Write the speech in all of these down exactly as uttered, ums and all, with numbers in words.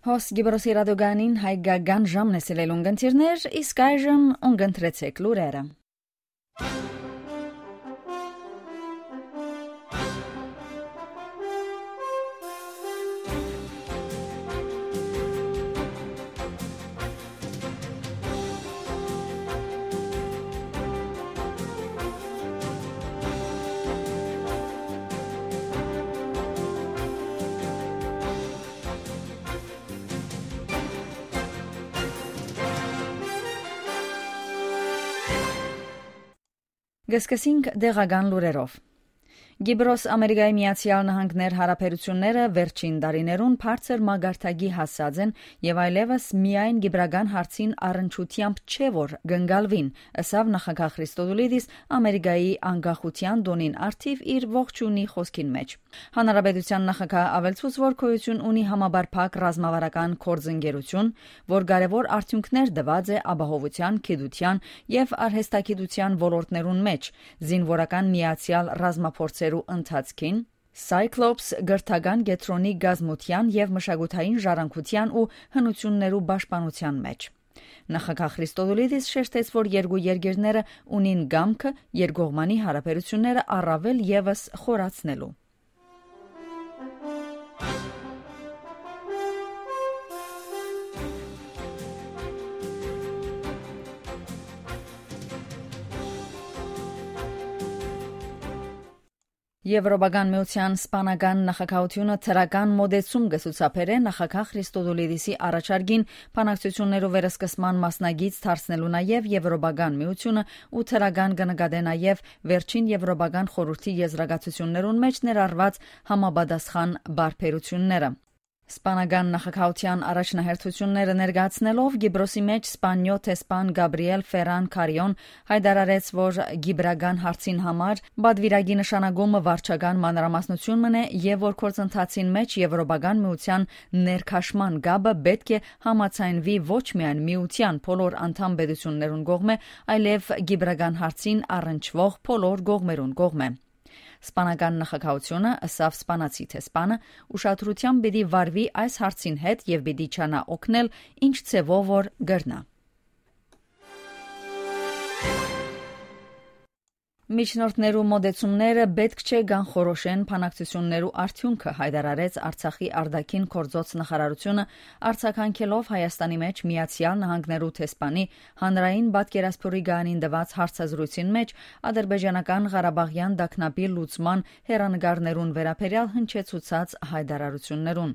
Հոս Գիբրոսի ռադիոգանին հայկական ժամն է սիրելուն կընթիրներ, իսկ այժմ ուն կընտրեցեք լուրերը։ Կը սկսենք տեղական լուրերով։ Կիպրոս Ամերիկայի Միացեալ Նահանգներ հարաբերութիւնները վերջին տարիներուն բարձր մակարդակի հասած են եւ այլեւս միայն կիպրական հարցին առնչութեամբ չէ, որ կ'ընկալուին, ըսաւ նախագահ Խրիստոդուլիդիս Ամերիկայի անկախութեան տօնին առթիւ իր ողջունի խօսքին մէջ։ Հանրապետութեան նախագահը աւելցուց, որ գոյութիւն ունի համապարփակ ռազմավարական գործընկերութիւն, որ կարեւոր արդիւնքներ տուած է ապահովութեան, գիտութեան եւ արհեստագիտութեան ոլորտներուն մէջ, զինուորական միացեալ ռազմափորձերու ընթացքին, Cyclops կրթական կեդրոնի կազմութեան եւ մշակութային ժառանգութեան ու հնութիւններու պաշտպանութեան մէջ։ Նախագահ Խրիստոդուլիդիս շեշտեց, որ երկու երկիրները ունին կամքը երկկողմանի հարաբերութիւնները առաւել եւս խորացնելու։ Եվրոպական միութեան սպանական նախագահութիւնը դրական մօտեցում կը ցուցաբերէ նախագահ Խրիստոդուլիդիսի առաջարկին բանակցութիւններու վերսկսման մասնակից դարձնելու, նաեւ Եվրոպական միութիւնը ու դրական կը նկատէ նաեւ վերջին Եվրոպական խորհուրդի եզրակացութիւններուն մէջ ներառուած համապատասխան պարբերութիւնները։ Սպանական նախագահութեան առաջնահերթութիւնները ներկայացնելով Կիպրոսի մէջ Սպանիոյ դեսպան Գաբրիել Ֆերան Քարիոն յայտարարեց, որ կիպրական հարցին համար պատուիրակի նշանակումը վարչական մանրամասնութիւն մըն է եւ որ գործընթացին մէջ Եվրոպական միութեան ներքաշման կապը պէտք է համաձայնուի ոչ միայն միութեան բոլոր անդամ պետութիւններուն կողմէ, այլեւ կիպրական հարցին առնչուող բոլոր կողմերուն կողմէ։ Սպանական նախագահութիւնը, ըսաւ սպանացի դեսպանը, ուշադրութեամբ պիտի վարուի այս հարցին հետ եւ պիտի ջանայ օգնել, ինչ ձեւով որ կրնայ։ Միջնորդներու մօտեցումները պէտք չէ կանխորոշեն բանակցութիւններու արդիւնքը, յայտարարեց Արցախի արտաքին գործոց նախարարութիւնը, արձագանքելով Հայաստանի մէջ Միացեալ Նահանգներու դեսպանի հանրային պատկերասփիւռի գանին տուած հարցազրոյցին մէջ ադրբեջանական Ղարաբաղեան տագնապի լուծման հեռանկարներուն վերաբերեալ հնչեցուցած յայտարարութիւններուն։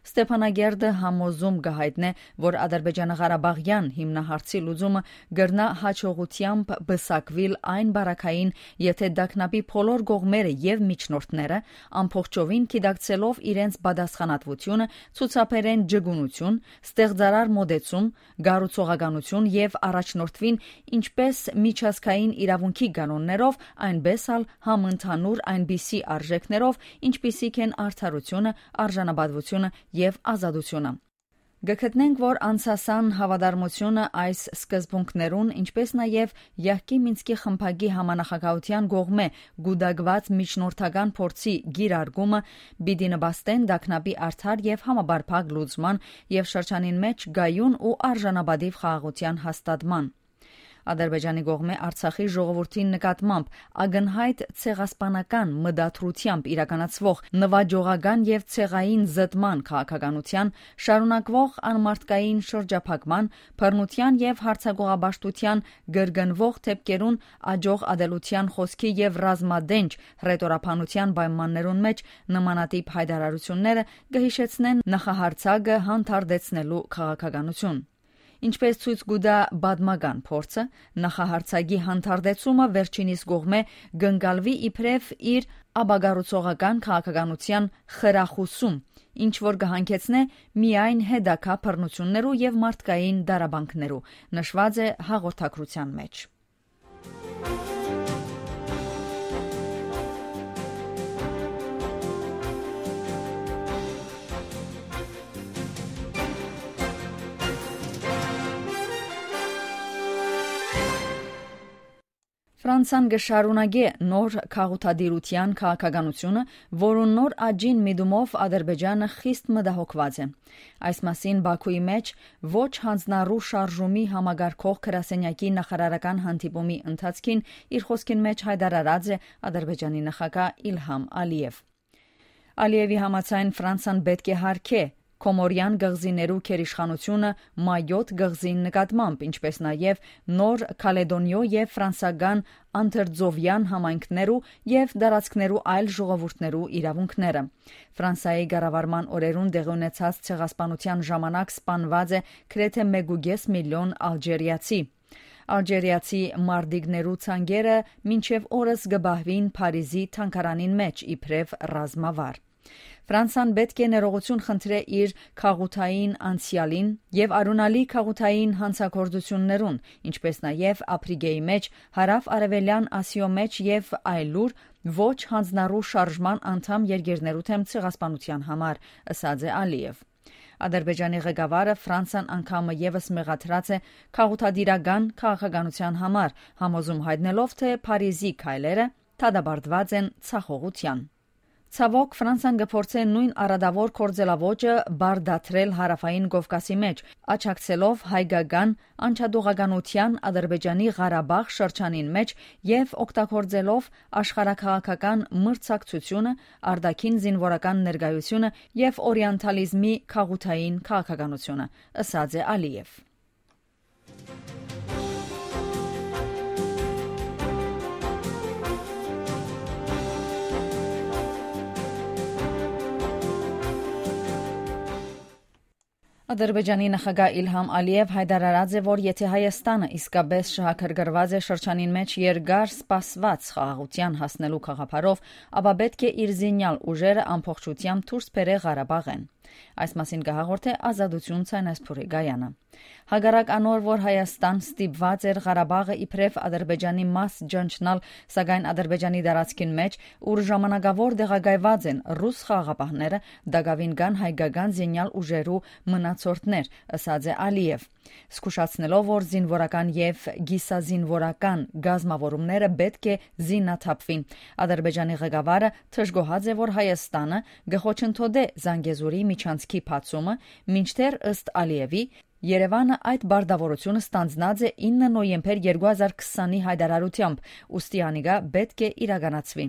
Ստեփանագերդը համոզում կը յայտնէ, որ ադրբեջանա-ղարաբաղեան հիմնահարցի լուծումը կրնայ յաջողութեամբ պսակուիլ այն պարագային, եթէ տագնապի բոլոր կողմերը եւ միջնորդները ամբողջովին գիտակցելով իրենց պատասխանատվութիւնը, ցուցաբերեն ջգունութիւն, ստեղծարար մօտեցում, կառուցողականութիւն եւ առաջնորդուին ինչպէս միջազգային իրաւունքի կանոններով, այնպէս ալ համընդհանուր այնպիսի արժէքներով, ինչպիսիք են արդարութիւնը, արժանապատվութիւնը եւ ազատութիւնը։ Կը գտնենք, որ անցասան հաւատարմութիւնը այս սկզբունքներուն, ինչպէս նաեւ յահկի Մինսկի խմբակի համանախագահութեան կողմէ կուտակուած միջնորդական փորձի կիրարկումը պիտի նպաստեն տագնապի արդար եւ համապարփակ լուծման եւ շրջանին մէջ կայուն ու արժանապատիւ խաղաղութեան հաստատման։ Ադրբեջանի կողմէ Արցախի ժողովրդին նկատմամբ ակնյայտ ցեղասպանական մտադրութեամբ իրականացուող նուաճողական եւ ցեղային զտման քաղաքականութեան, շարունակուող անմարդկային շրջափակման, բռնութեան եւ յարձակողապաշտութեան կրկնուող դեպքերուն, աջող ատելութեան խօսքի եւ ռազմատենչ հռետորաբանութեան պայմաններուն մէջ նմանատիպ յայտարարութիւնները կը յիշեցնեն նախահարձակը հանդարտեցնելու քաղաքականութիւն։ Ինչպէս ցոյց կու տայ պատմական փորձը, նախահարձակի հանդարտեցումը վերջինիս կողմէ կ'ընկալուի իբրեւ իր ապակառուցողական քաղաքականութեան խրախուսում, ինչ որ կը հանգեցնէ միայն հետագայ բռնութիւններու եւ մարդկային տառապանքներու, նշուած է հաղորդագրութեան մէջ։ Ֆրանսան կը շարունակէ նոր քաղաքատիրութեան քաղաքականութիւնը, որուն նոր աճին միտումով Ադրբեջանը խիստ մտահոգուած է։ Այս մասին Բաքուի մէջ ոչ յանձնառու շարժումի համակարգող գրասենեակի նախարարական հանդիպումի ընթացքին իր խօսքին մէջ յայտարարած է Ադրբեջանի նախագահ Իլհամ Ալիեւ։ Ալիեւի համաձայն՝ Ֆրանսան պէտք է յարգէ Կոմորեան կղզիներու գերիշխանութիւնը Մայոթ կղզին նկատմամբ, ինչպէս նաեւ Նոր Քալեդոնիոյ եւ ֆրանսական Անդրծովեան համայնքներու եւ տարածքներու այլ ժողովուրդներու իրաւունքները։ Ֆրանսայի կառավարման օրերուն տեղի ունեցած ցեղասպանութեան ժամանակ սպանուած է գրեթէ մէկ ու կէս միլիոն ալժիրացի։ Ալժիրացի մարտիկներու ցանկերը մինչեւ օրս կը պահուին Փարիզի թանգարանին մէջ իբրեւ ռազմավար։ Ֆրանսան պէտք է ներողութիւն խնդրէ իր քաղաքային անցեալին եւ արիւնալի քաղաքային յանցագործութիւններուն, ինչպէս նաեւ Ափրիկեի մէջ Հարաւ Արեւելեան Ասիոյ մէջ եւ այլուր ոչ յանձնառու շարժման անդամ երկիրներու դէմ ցեղասպանութեան համար, ըսած է Ալիեւ։ Ադրբեջանի ղեկավարը Ֆրանսան անգամը եւս մեղադրած է քաղաքատիրական քաղաքականութեան համար, համոզում յայտնելով, թէ Փարիզի քայլերը դատապարտուած են ցախողութեան։ Ցաւօք, Ֆրանսան կը փորձէ նոյն արատաւոր գործելաոճը պարտադրել Հարաւային Կովկասի մէջ, աջակցելով հայկական անջատողականութեան Ադրբեջանի Ղարաբաղ շրջանին մէջ եւ օգտագործելով աշխարհաքաղաքական մրցակցությունը, արտաքին զինուորական ներկայությունը եւ օրիանտալիզմի քաղաքային քաղաքականությունը, ըսած է Ալիեւ։ Ադրբեջանի նախագահ Իլհամ Ալիեւ յայտարարած է, որ եթէ Հայաստանը իսկապէս շահագրգռուած է շրջանին մէջ երկար սպասուած խաղաղութեան հասնելու գաղափարով, ապա պէտք է իր զինեալ ուժերը ամբողջութեամբ դուրս բերէ Ղարաբաղէն։ Այս մասին կը հաղորդէ Ազատություն ցայնասփուռի կայանը։ Հակառակ անոր, որ Հայաստան ստիպուած էր Ղարաբաղը իբրեւ Ադրբեջանի մաս ճանչնալ, սակայն Ադրբեջանի տարածքին մէջ, ուր ժամանակաւոր տեղակայուած են ռուս խաղաղապահները, տակաւին կան հայկական զինեալ ուժերու մնացորդներ, ըսած է Ալիեւ, զգուշացնելով, որ զինուորական եւ կիսազինուորական կազմաւորումները պէտք է զինաթափուին։ Ադրբեջանի ղեկավարը դժգոհած է, որ Հայաստանը կը խոչընդոտէ Զանգեզուրի միջանցքի բացումը, մինչդեռ, ըստ Ալիեւի, Երեւանը այդ պարտաւորութիւնը ստանձնած է ինը նոյեմբեր երկու հազար քսանի յայտարարութեամբ, ուստի անիկա պէտք է իրականացուի։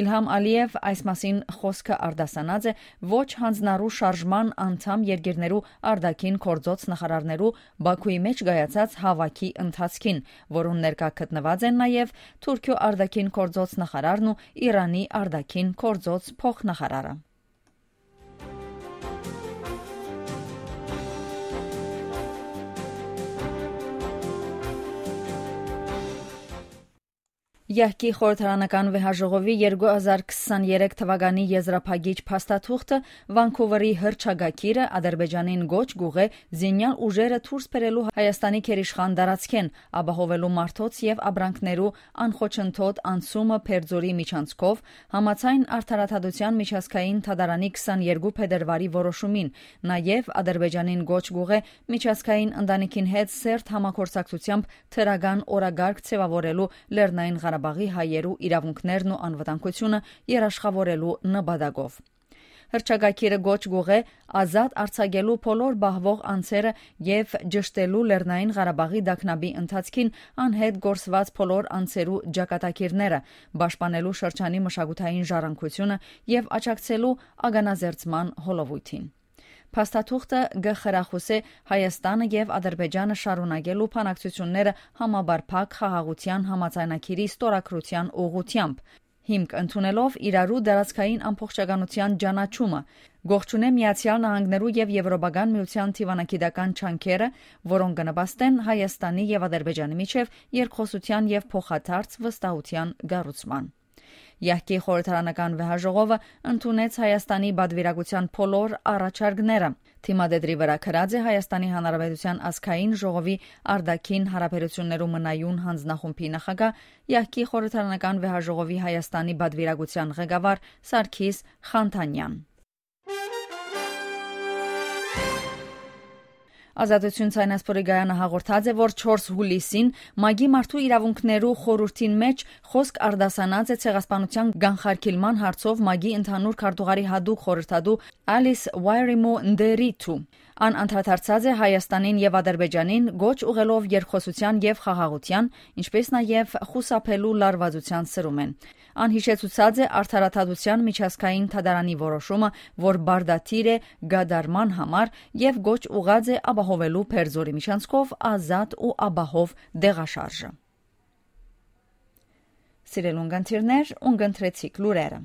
Իլհամ Ալիեւ այս մասին խօսքը արտասանած է ոչ յանձնառու շարժման անդամ երկիրներու արտաքին գործոց նախարարներու Բաքուի մէջ կայացած հաւաքի ընթացքին, որուն ներկայ գտնուած են նաեւ Թուրքիոյ արտաքին գործոց նախարարն ու Իրանի արտաքին գործոց փոխնախարարը։ Յահկի խորհրդարանական վեհաժողովի երկու հազար քսաներեք թվականի եզրափակիչ փաստաթուղթը, Վանքուվերի հռչակագիրը Ադրբեջանին կոչ կուղղէ զինյալ ուժերը դուրս բերելու Հայաստանի գերիշխան տարածքէն, ապահովելու մարդոց եւ ապրանքներու անխոչընդոտ անցումը Բերձորի միջանցքով, համաձայն Արդարադատության միջազգային դատարանի քսաներկու փետրվարի որոշումին, նաեւ Ադրբեջանին կոչ կուղղէ միջազգային ընտանիքին հետ սերտ համագործակցությամբ դրական օրակարգ ձեւաւորելու Լեռնային Ղարաբաղի հայերու իրաւունքներն ու անվտանգությունը երաշխավորելու նպատակով։ Հռչակագիրը կոչ կուղղէ ազատ արձակելու բոլոր պահուող անձերը եւ ճշտելու Լեռնային Ղարաբաղի տագնապի ընթացքին անհետ կորսուած բոլոր անձերու ճակատագիրները, պաշտպանելու շրջանի մշակութային ժառանգությունը եւ աջակցելու ականազերծման հոլովոյթին։ Փաստաթուղթը կը խրախուսէ Հայաստանը եւ Ադրբեջանը շարունակելու բանակցութիւնները համապարփակ խաղաղութեան համաձայնագիրի ստորագրութեան ուղղութեամբ, հիմք ընդունելով իրարու տարածքային ամբողջականութեան ճանաչումը, կողջունէ Միացեալ Նահանգներու եւ Եւրոպական Միութեան դիվանագիտական ջանքերը, որոնք կը նպաստեն Հայաստանի եւ Ադրբեջանի միջեւ երկխօսութեան եւ փոխադարձ վստահութեան կառուցման։ Յահկի խորհրդարանական վեհաժողովը ընդունեց Հայաստանի պատվիրակութեան բոլոր առաջարկները։ Թիմադեդրի վրայ գրած է Հայաստանի Հանրապետութեան ազգային ժողովի արտաքին հարաբերություններու մնայուն հանձնախումբի նախագահ, Յահկի խորհրդարանական վեհաժողովի Հայաստանի պատվիրակութեան ղեկավար Սարգիս Խանթանեան։ Ազատություն ցայնասփորի գայանը հաղորդած է, որ չորս հուլիսին ՄԱԿ-ի մարդու իրաւունքներու խորհուրդին մէջ խօսք արտասանած է ցեղասպանութեան կանխարգիլման հարցով ՄԱԿ-ի ընդհանուր քարտուղարի յատուկ խորհրդատու Ալիս Ուայրիմու Նտերիթու։ Ան անդրադարձած է Հայաստանին եւ Ադրբեջանին կոչ ուղղելով երկխօսութեան եւ խաղաղութեան, ինչպէս նաեւ խուսափելու լարուածութեան սրումէն։ Ան յիշեցուցած է Արդարադատության միջազգային դատարանի որոշումը, որ պարտադիր է կատարման համար, եւ կոչ ուղղած է ապահովելու Պերձորի միջանցքով ազատ ու ապահով տեղաշարժը։ Սիրելի ունգընտիրներ, ունգընտրեցիք լուրերը։